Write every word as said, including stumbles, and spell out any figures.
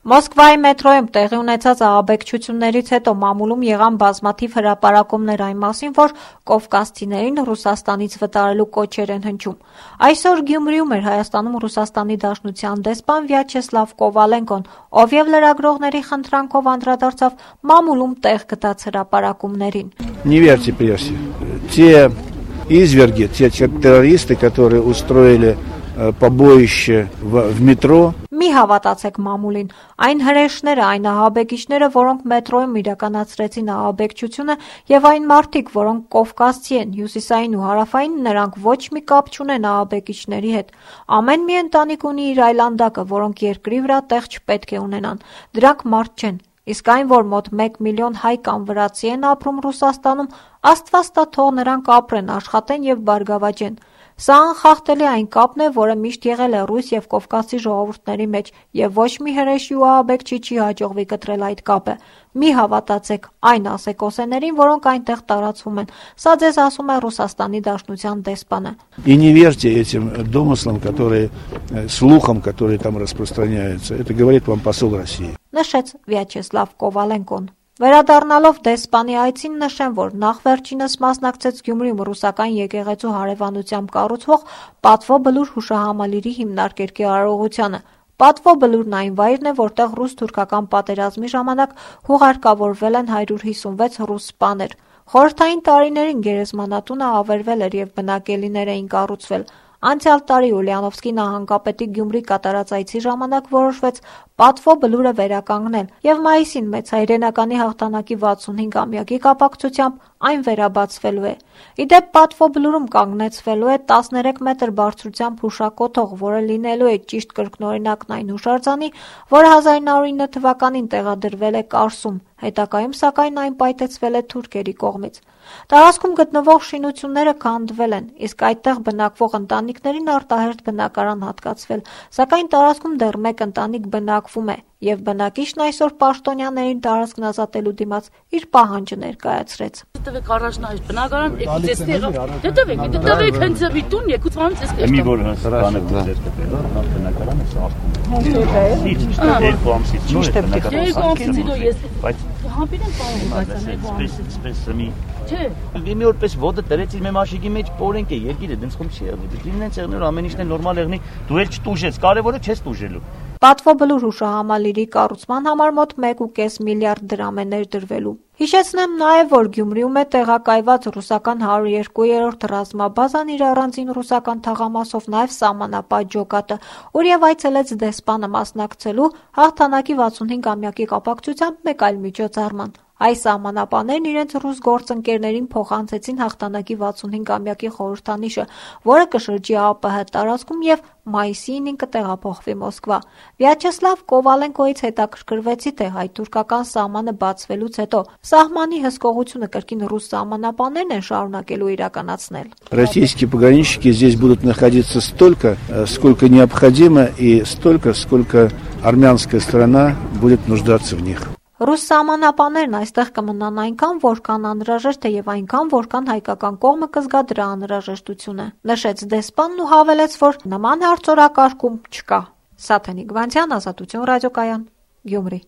Մոսկվայի մետրոյում տեղի ունեցած ահաբեկչություններից հետո մամուլում եղան բազմաթիվ հրապարակումներ այն մասին, որ կովկասցիներին Ռուսաստանից վտարելու կոչեր են հնչում։ Այսօր Գյումրիում էր Հայաստանում Ռուսաստանի Դաշնության դեսպան Վյաչեսլավ Կովալենկոն, ով եւ լրագրողների խնդրանքով անդրադարձավ մամուլում տեղ գտած հրապարակումներին։ Не верьте прессе. Те изверги, те террористы, которые устроили побоище в, в метро. Մի հավատացեք մամուլին, այն հրեշները, այն ահաբեկիչները, որոնք մետրոյում իրականացրեցին ահաբեկչությունը եւ այն մարդիկ, որոնք կովկասցի են, հյուսիսային ու հարավային, նրանք ոչ մի կապ չունեն ահաբեկիչների հետ։ Ամեն մի ընտանիք ունի իր այլանդակը, որոնք երկրի վրա տեղ չպետք է ունենան։ Դրանք մարդ չեն։ Իսկ այն, որ մոտ մեկ միլիոն հայ կամ վրացի են ապրում Ռուսաստանում, Աստված տա թող նրանք ապրեն, աշխատեն եւ բարգավաճեն։ Սա անխախտելի այն կապն է, որը միշտ եղել է ռուս եւ կովկասի ժողովուրդների մեջ, եւ ոչ մի հրեշի ու ահաբեկչի չի հաջողվի կտրել այդ կապը։ Մի հավատացեք այն ասեկոսեներին, որոնք այնտեղ տարածվում են։ Սա ձեզ ասում է Ռուսաստանի Դաշնության դեսպանը։ И не верьте этим домыслам, которые слухам, которые там распространяются. Это говорит вам посол России. Նշեց Վյաչեսլավ Կովալենկոն։ Վերադառնալով դեսպանի այցին նշեմ, որ նախ վերջինս մասնակցեց Գյումրիում ռուսական եկեղեցու հարևանությամբ կառուցվող Պատվո բլուր հուշահամալիրի հիմնարկերկի արարողությանը։ Պատվո բլուրն այն վայրն է, որտեղ ռուս-թուրքական պատերազմի ժամանակ հուղարկավորվել են հարյուր հիսունվեց ռուս սպաներ։ Խորհրդային տարիներին գերեզմանատունը ավերվել էր եւ բնակելիներ էին կառուցվել։ Անցյալ տարի Ուլիանովսկի նահանգապետի Գյումրի կատարած այցի ժամանակ որոշվեց Պատվո բլուրը վերականգնել եւ մայիսին մեծ հայրենականի հաղթանակի վաթսունհինգամյակի կապակցությամբ այն վերաբացվելու է։ Իդեպ Պատվո բլուրում կանգնեցվելու է տասներեք մետր բարձրությամբ հուշակոթող, որը լինելու է ճիշտ կրկնօրինակն այն հուշարձանի, որը հազար նոր ինը թվականին տեղադրվել է Կարսում, հետագայում սակայն այն պայթեցվել է թուրքերի կողմից։ Տարածքում գտնվող շինությունները քանդվել են, իսկ այդտեղ բնակվող ընտանիքներին արտահերթ բնակարան հատկացվել, սակայն տարածքում դեռ մեկ ընտանիք բնակվում է, եւ բնակիչն այսօր պաշտոնյաներին տարածքն ազատելու դիմաց իր պահանջը ներկայացրեց։ Դտվեք առաջնահերթ բնակարան, եկեք էստի եղավ։ Դտվեք, դտվեք հենց ձևի տուն, եկուց մանց էս կեստա։ Մի որ բանը ձեր կտել, նախ բնակարանը սա ասում։ Երկու ամսից նոր է բնակարանը։ Երկու ամսից նոր ես բայց համբին եմ պահում, բայց երկու ամսից սպես մի Չէ։ Մի օրպես ոդը դրեց իր մաշիկի մեջ օրենք է, երկիրը դենց խում չի եղել։ Դինեն ցեղներ ամեն ինչն է նորմալ եղնի, դու էլ չտուժես, կարևորը չես տուժելու։ Պատվո բլուր հուշահամալիրի կառուցման համար մոտ մեկ ու կես միլիարդ դրամ է ներդրվելու։ Հիշեցնեմ նաև, որ Գյումրիում է տեղակայված ռուսական հարյուր երկու ռազմաբազան իր առանձին ռուսական թաղամասով, նաև սահմանապատ ջոկատը, ուր եւ այցելեց դեսպանը մասնակցելու հաղթանակի վաթսունհինգամյակի կապակցությամբ մեկ այլ միջոցառման։ Այս սահմանապաններն իրենց ռուս գործընկերներին փոխանցեցին հաղթանակի վաթսունհինգամյակի խորհրդանիշը, որը կշրջի ԱՊՀ տարածքում եւ մայիսի ինին կտեղափոխվի Մոսկվա։ Վյաչեսլավ Կովալենկոից հետաքրքրվեցի, թե հայ-թուրքական սահմանը բացվելուց հետո սահմանի հսկողությունը կրկին ռուս սահմանապաններն են շարունակելու իրականացնել։ Российские пограничники здесь будут находиться столько, сколько необходимо, и столько, сколько армянская сторона будет нуждаться в них. Ռուս սահմանապաններն այստեղ կմնան այնքան, որքան անհրաժեշտ է եւ այնքան, որքան հայկական կողմը կզգա դրա անհրաժեշտությունը, նշեց դեսպանն ու հավելեց, որ նման հարցորակարգում չկա։ Սաթենիկ Վանցյան, Ազատություն ռադիոկայան, Գյումրի։